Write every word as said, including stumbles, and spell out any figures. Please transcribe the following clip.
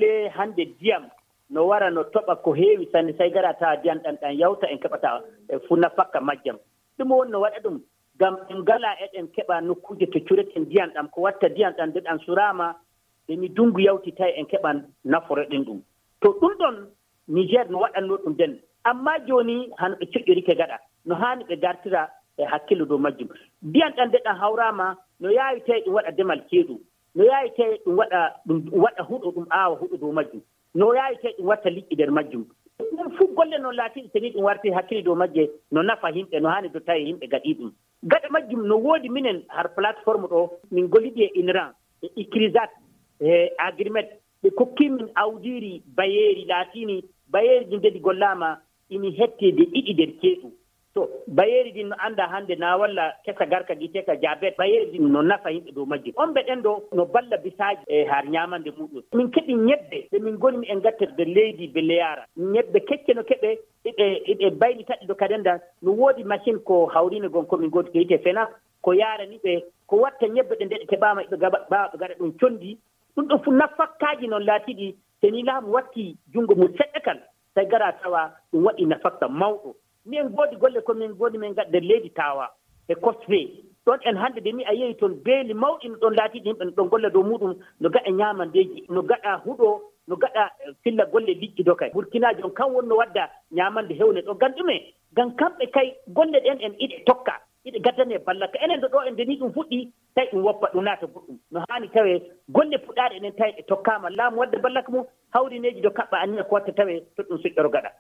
lalle hande ndiyam no wara no toɓa ko heewi sanne say gara tawa ndiyam ɗan ɗan yawta en keɓata fu nafakka majjam ɗum woni no waɗa ɗum ngam en ngala eɗen keɓa nokkuje to cureten ndiyam ɗam ko watta ndiyam ɗam nde ɗam surama emi dungu yawti tawi en keɓan naforo ɗen ɗum to ɗum ɗon Niger no waɗanno ɗum den amma joni han ɓe coƴƴorike gaɗa no hani ɓe gartira e hakkille dow majjum ndiyam ɗam nde ɗam hawrama no yaawi tawi ɗum waɗa demal ceeɗu no yaawi tawi ɗum waɗa ɗum waɗa huɗo ɗum aawa huɗo dow majjum no yaawi tawi ɗum watta liƴƴi nder majjum ɗum fof golle noon laatiɗi tani ɗum warti hakkille dow majje no nafa yimɓe no hani do tawi yimɓe gaɗi ɗum gaɗa majjum no woodi minen har plateforme ɗo min golliɗi e INRAN e ICRISAT e agrimet ɓe kokkimin awdiri bayeeri laatini bayeeri ɗi ndedi gollama ini hettede ɗiɗi nder ceeɗu to bayeeri din no anda hande na walla kesa garka giteka jabet bayeeri din no nafa yimɓe dow majjum on ɓe ɗen ɗo no balla bisaji e har ñamande muɗum min keeɓi ñebbe ɓe min gonmi e gatterde leydi Belleyara ñebbe kecce no keɓe ɗiɓe ɗiɓe bayli taɗi ɗo kadenda no woodi machine ko hawrino gon komin godi ko yite fena ko yarani ɓe ko watta ñebbe ɗe nde ɗe keɓama ɓe bawa ɓe gaɗa ɗum condi ɗum ɗo fu nafakkaji noon laatiɗi teni laamu watti junngo mum seɗɗa kan tawi gara tawa ɗum waɗi nafakka mawɗo min goodi golle komin goodi min gaɗa nder leydi tawa e cosfe ɗon en hannde de mi a yehi toon beeli mawɗi no ɗon laatiɗi yimɓe no ɗon golla dow muɗum no gaɗa ñamandeji no gaɗa huɗo no gaɗa filla golle liƴƴi do kay burkina jon kan wonno wadda ñamande hewne ɗo ngam ɗume ngam kamɓe kay golle ɗen en iɗe tokka iɗe gaddane ballaka enen ɗo ɗo en ndeni ɗum fuɗɗi tawi ɗum woppa ɗum naata goɗɗum no hani tawe golle puɗɗaɗe enen tawi ɗe tokkama laamu wadde ballaka mum hawrineji do kaɓɓa annina ko watta tawe to ɗum suƴƴoro gaɗa